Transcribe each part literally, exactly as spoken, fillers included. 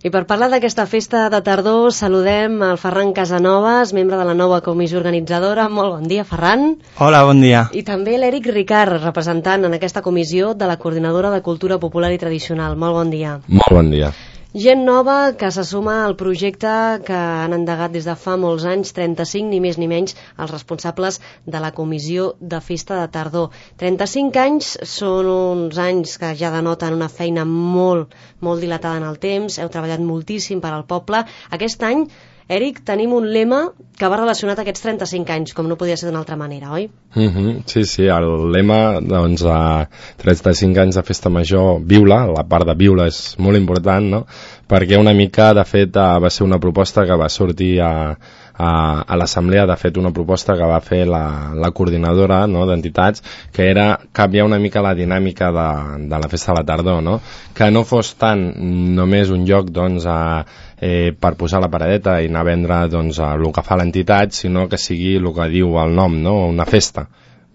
I per parlar d'aquesta festa de tardor saludem el Ferran Casanovas, membre de la nova comissió organitzadora. Molt bon dia, Ferran. Hola, bon dia. I també l'Eric Ricard, representant en aquesta comissió de la Coordinadora de Cultura Popular i Tradicional. Molt bon dia. Molt bon dia. Gent nova que se suma al projecte que han endegat des de fa molts anys, trenta-cinc, ni més ni menys, els responsables de la comissió de festa de tardor. trenta-cinc anys són uns anys que ja denoten una feina molt, molt dilatada en el temps, heu treballat moltíssim per al poble. Aquest any, Eric, tenim un lema que va relacionat a aquests trenta-cinc anys, com no podia ser d'una altra manera, oi? Mm-hmm, sí, sí, el lema, doncs, a trenta-cinc anys de festa major, viu-la, la part de viu-la és molt important, no?, perquè una mica, de fet, va ser una proposta que va sortir a, a, a l'assemblea, de fet, una proposta que va fer la, la coordinadora, no?, d'entitats, que era canviar una mica la dinàmica de, de la festa de la tardor, no?, que no fos tant només un lloc, doncs, a Eh, per posar la paradeta i anar a vendre doncs, el que fa l'entitat, sinó que sigui el que diu el nom, no? Una festa.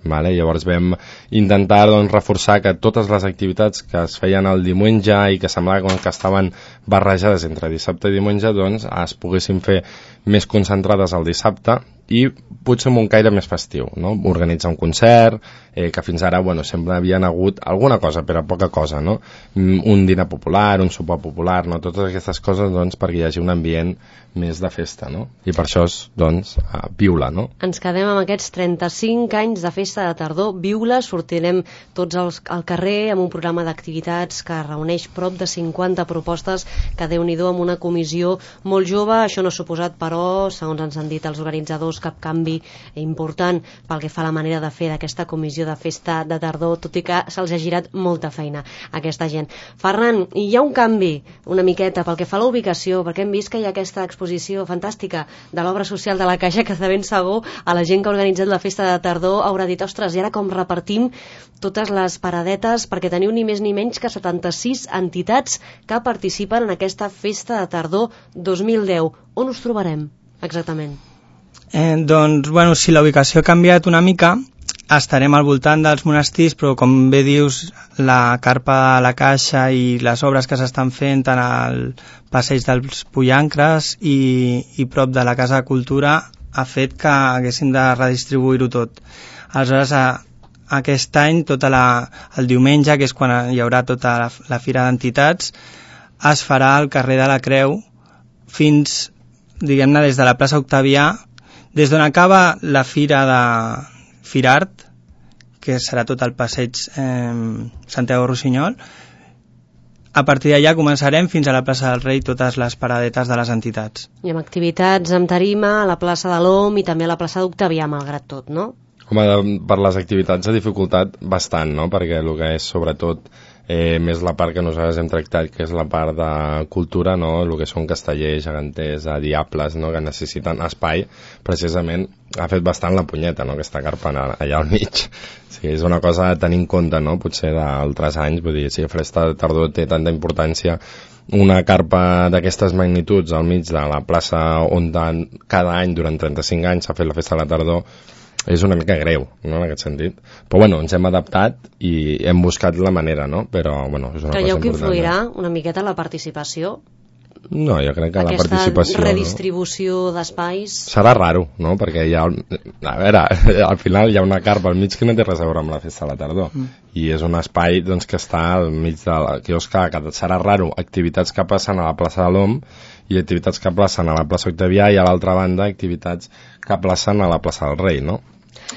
Vale? Llavors vam intentar doncs, reforçar que totes les activitats que es feien el diumenge i que semblava que estaven barrejades entre dissabte i diumenge doncs, es poguessin fer més concentrades al dissabte i potser amb un caire més festiu, no? Organitzar un concert, eh, que fins ara bueno, sempre havien hagut alguna cosa, però poca cosa, no? Un dinar popular, un sopar popular, no? Totes aquestes coses doncs, perquè hi hagi un ambient més de festa, no? I per això és, doncs, uh, viu-la, no? Ens quedem amb aquests trenta-cinc anys de festa de tardor, viu-la, sortirem tots als, al carrer amb un programa d'activitats que reuneix prop de cinquanta propostes, que Déu-n'hi-do, amb una comissió molt jove. Això no ha suposat, però, segons ens han dit els organitzadors, cap canvi important pel que fa a la manera de fer d'aquesta comissió de festa de tardor, tot i que se'ls ha girat molta feina a aquesta gent. Ferran, hi ha un canvi una miqueta pel que fa a la ubicació, perquè hem vist que hi ha aquesta exposició fantàstica de l'obra social de la Caixa, que de ben segur a la gent que ha organitzat la festa de tardor haurà dit, ostres, i ara com repartim totes les paradetes, perquè teniu ni més ni menys que setanta-sis entitats que participen en aquesta festa de tardor dos mil deu. On us trobarem exactament? Eh, doncs, bueno, si la ubicació ha canviat una mica, estarem al voltant dels monestirs, però com bé dius, la carpa de la Caixa i les obres que s'estan fent tant al passeig dels Pollancres i, i prop de la Casa de Cultura ha fet que haguéssim de redistribuir-ho tot. Aleshores, a, aquest any, tota la, el diumenge, que és quan hi haurà tota la, la fira d'entitats, es farà al carrer de la Creu fins, diguem-ne, des de la plaça Octavià, des d'on acaba la fira de Firart, que serà tot el passeig eh, Santiago Rossinyol. A partir d'allà començarem fins a la plaça del Rei totes les paradetes de les entitats. I amb activitats amb tarima a la plaça de l'Om i també a la plaça d'Octavià, malgrat tot, no? Home, per les activitats ha dificultat bastant, no? Perquè el que és sobretot eh, més la part que nosaltres hem tractat, que és la part de cultura, no? El que són castellers, geganters, diables, no? Que necessiten espai, precisament ha fet bastant la punyeta, no? Aquesta carpa allà al mig. Sí, és una cosa a tenir en compte, no? Potser d'altres anys, vull dir, si la festa de tardor té tanta importància, una carpa d'aquestes magnituds al mig de la plaça on cada any durant trenta-cinc anys s'ha fet la festa de la tardor, és una mica greu, no?, en aquest sentit. Però, bueno, ens hem adaptat i hem buscat la manera, no? Però, bueno, és una Creieu cosa important. Creieu que influirà una miqueta la participació? No, jo crec que aquesta la participació... Aquesta redistribució no? d'espais... Serà raro, no?, perquè hi ha... A veure, al final hi ha una carpa al mig que no té res a veure amb la festa de la tardor. Mm. I és un espai, doncs, que està al mig del quiosc, que serà raro. Activitats que passen a la plaça de l'Om i activitats que placen a la plaça Octavià i a l'altra banda activitats que placen a la plaça del Rei, no?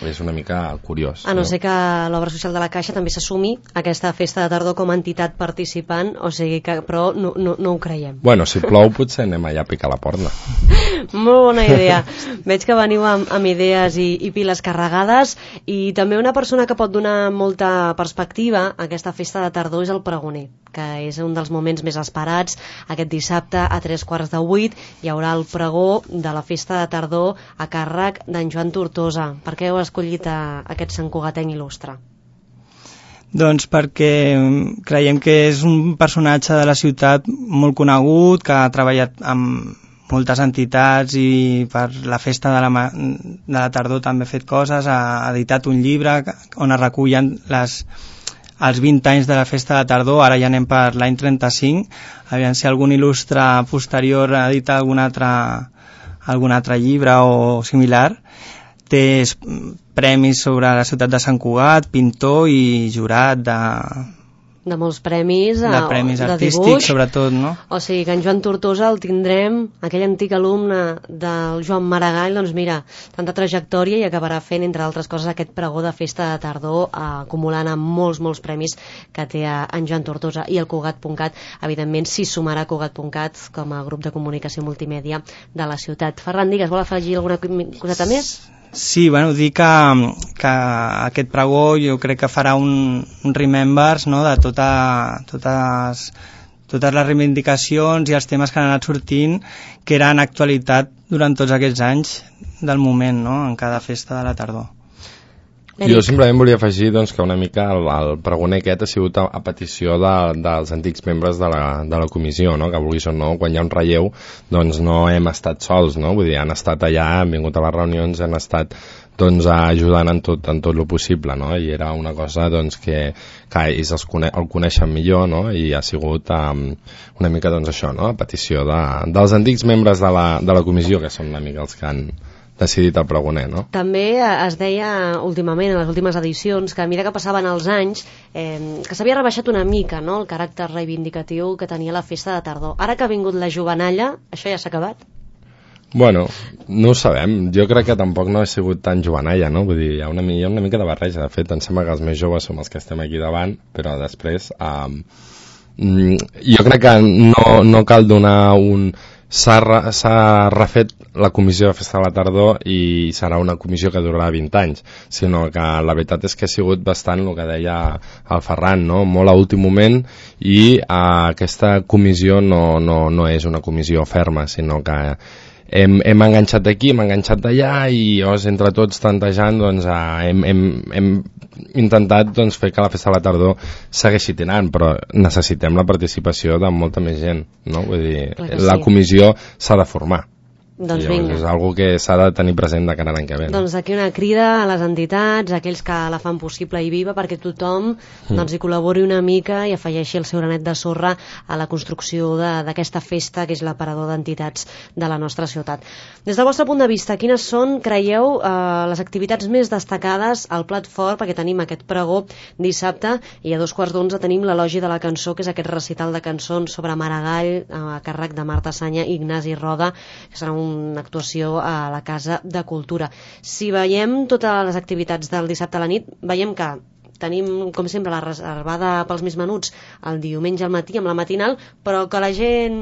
És una mica curiós. A no, no? ser que l'obra social de la Caixa també s'assumi a aquesta festa de tardor com a entitat participant, o sigui que, però no, no, no ho creiem. Bueno, si plou potser anem allà a picar la porta. Molt bona idea. Veig que veniu amb, amb idees i, i piles carregades, i també una persona que pot donar molta perspectiva a aquesta festa de tardor és el pregoner, que és un dels moments més esperats. Aquest dissabte a tres quarts de vuit hi haurà el pregó de la festa de tardor a càrrec d'en Joan Tortosa. Per què heu escollit a aquest santcugatenc il·lustre? Doncs perquè creiem que és un personatge de la ciutat molt conegut, que ha treballat amb moltes entitats i per la festa de la, de la tardor també ha fet coses, ha editat un llibre on es recullen les, els vint anys de la Festa de Tardor, ara ja anem per l'any trenta-cinc, aviam si algun il·lustre posterior edita algun altre, algun altre llibre o similar. Té premis sobre la ciutat de Sant Cugat, pintor i jurat de... de molts premis, de premis de artístics, dibuix, sobretot, no? O sigui que en Joan Tortosa el tindrem, aquell antic alumne del Joan Maragall, doncs mira, tanta trajectòria i acabarà fent, entre altres coses, aquest pregó de Festa de Tardor, eh, acumulant amb molts, molts premis que té en Joan Tortosa. I el Cugat punt cat, evidentment, s'hi sumarà Cugat punt cat com a grup de comunicació multimèdia de la ciutat. Ferran, digues, vol afegir alguna coseta més? Sí, bueno, dir que, que aquest pregó jo crec que farà un, un remembers, no?, de tota, totes, totes les reivindicacions i els temes que han anat sortint que eren actualitat durant tots aquests anys del moment, no?, en cada festa de la tardor. Jo simplement volia afegir doncs, que una mica el, el pregoner aquest ha sigut a, a petició de, dels antics membres de la, de la comissió, no? Que vulguis o no, quan hi ha un relleu doncs no hem estat sols, no? Vull dir, han estat allà, han vingut a les reunions, han estat doncs, ajudant en tot, en tot el possible, no? I era una cosa doncs, que, que ells els cone el coneixen millor, no? I ha sigut um, una mica doncs, això, no? A petició de, dels antics membres de la, de la comissió, que són una mica els que han decidit el pregoner, no? També es deia últimament, en les últimes edicions, que a mesura que passaven els anys, eh, que s'havia rebaixat una mica, no?, el caràcter reivindicatiu que tenia la Festa de Tardor. Ara que ha vingut la jovenalla, això ja s'ha acabat? Bueno, no ho sabem. Jo crec que tampoc no ha sigut tan jovenalla, no? Vull dir, hi ha una, hi ha una mica de barreja. De fet, em sembla que els més joves som els que estem aquí davant, però després eh, jo crec que no, no cal donar un... S'ha refet la comissió de Festa de la Tardor i serà una comissió que durarà vint anys, sinó que la veritat és que ha sigut bastant el que deia el Ferran, no? Molt a últim moment, i eh, aquesta comissió no, no, no és una comissió ferma, sinó que hem, hem enganxat d'aquí, hem enganxat d'allà i llavors entre tots tantejant doncs, eh, hem, hem, hem intentat doncs, fer que la Festa de la Tardor segueixi tirant, però necessitem la participació de molta més gent, no? Vull dir, la sí. Comissió s'ha de formar. Doncs llavors, vinga. és algo que s'ha de tenir present de cara a l'any que ve. No? Doncs aquí una crida a les entitats, a aquells que la fan possible i viva, perquè tothom mm. doncs, hi col·labori una mica i afegeixi el seu granet de sorra a la construcció d'aquesta festa, que és l'aparador d'entitats de la nostra ciutat. Des del vostre punt de vista, quines són, creieu, eh, les activitats més destacades al plat fort, perquè tenim aquest pregó dissabte i a dos quarts d'onze tenim l'elogi de la cançó, que és aquest recital de cançons sobre Maragall, a càrrec de Marta Sanya i Ignasi Roda, que serà un una actuació a la Casa de Cultura. Si veiem totes les activitats del dissabte a la nit, veiem que tenim, com sempre, la reservada pels més menuts el diumenge al matí amb la matinal, però que la gent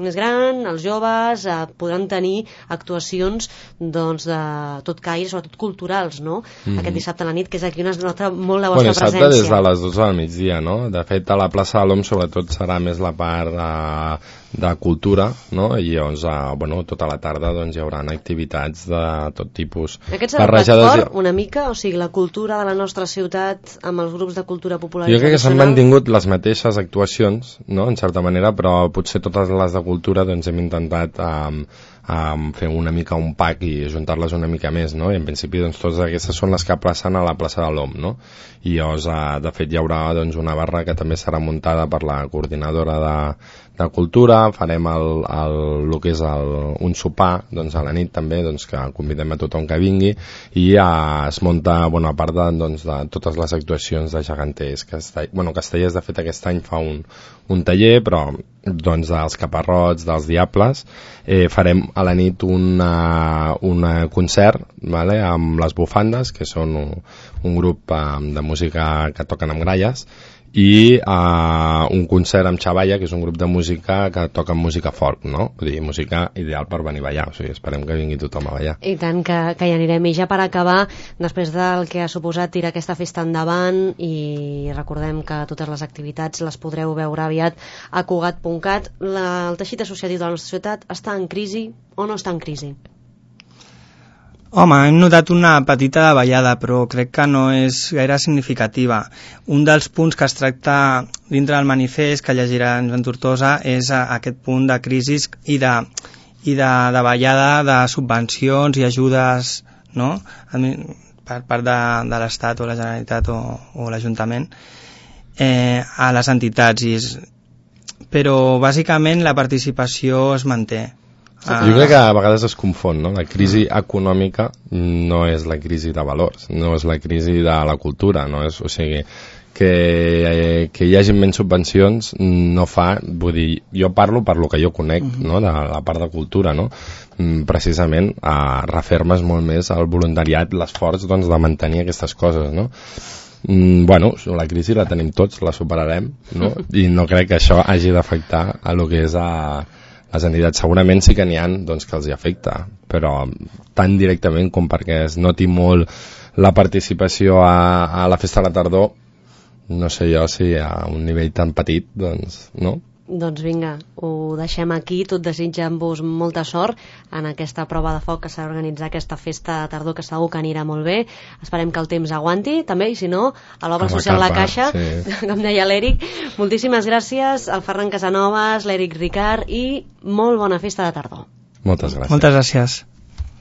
més gran, els joves, eh, podran tenir actuacions doncs, de tot caire, sobretot culturals, no? Mm. Aquest dissabte a la nit, que és aquí on es nota molt la vostra bueno, dissabte presència. Des de les dotze del migdia, no? De fet, a la plaça de l'Om sobretot serà més la part eh, de cultura, no? I llavors, eh, bueno, tota la tarda doncs, hi haurà activitats de tot tipus. Aquest serà el plat fort, una mica? O sigui, la cultura de la nostra ciutat amb els grups de cultura popular. Jo crec que s'han mantingut les mateixes actuacions, no?, en certa manera, però potser totes les de cultura doncs, hem intentat um, um, fer una mica un pack i juntar-les una mica més, no? I en principi doncs, totes aquestes són les que placen a la plaça de l'Om, no? I llavors, uh, de fet, hi haurà doncs, una barra que també serà muntada per la coordinadora de, de cultura, farem el, el, el que és el, un sopar doncs, a la nit també, doncs, que convidem a tothom que vingui, i uh, es munta, bueno, a part de, doncs, de totes les actuacions de geganters, Castell... bueno, Castellers de fet aquest any fa un, un taller, però doncs dels caparrots, dels diables, eh, farem a la nit una, una concert, vale, amb les bufandes, que són un, un grup eh, de música que toquen amb gralles, i uh, un concert amb Xavalla, que és un grup de música que toca música folk, no? Vull dir, música ideal per venir a ballar, o sigui, esperem que vingui tothom a ballar. I tant que, que hi anirem. I ja per acabar, després del que ha suposat tirar aquesta festa endavant, i recordem que totes les activitats les podreu veure aviat a Cugat punt cat, la, el teixit associatiu de la nostra ciutat està en crisi o no està en crisi? Home, hem notat una petita davallada, però crec que no és gaire significativa. Un dels punts que es tracta dintre del manifest que llegirà en Joan Tortosa és aquest punt de crisi i de, i de davallada de subvencions i ajudes, no?, per part de, de l'Estat o la Generalitat o, o l'Ajuntament. eh, a les entitats, i és... però bàsicament la participació es manté. Ah. Jo crec que a vegades es confon, no? La crisi econòmica no és la crisi de valors, no és la crisi de la cultura, no és, o sigui, que, eh, que hi hagi menys subvencions no fa, vull dir, jo parlo per lo que jo conec, uh-huh. no? De la part de cultura, no? Precisament a refermes molt més el voluntariat, l'esforç doncs, de mantenir aquestes coses, no? Mm, bueno, la crisi la tenim tots, la superarem, no? I no crec que això hagi d'afectar a lo que és a les entitats. Segurament sí que n'hi ha doncs, que els hi afecta, però tan directament com perquè es noti molt la participació a, a la festa de la tardor, no sé jo si a un nivell tan petit, doncs no. Doncs vinga, ho deixem aquí, tot desitjant-vos molta sort en aquesta prova de foc que s'ha d'organitzar, aquesta festa de tardor, que segur que anirà molt bé. Esperem que el temps aguanti també, i si no, a l'obra social La Caixa, sí. Com deia l'Eric. Moltíssimes gràcies al Ferran Casanovas, l'Eric Ricard, i molt bona festa de tardor. Moltes gràcies. Moltes gràcies.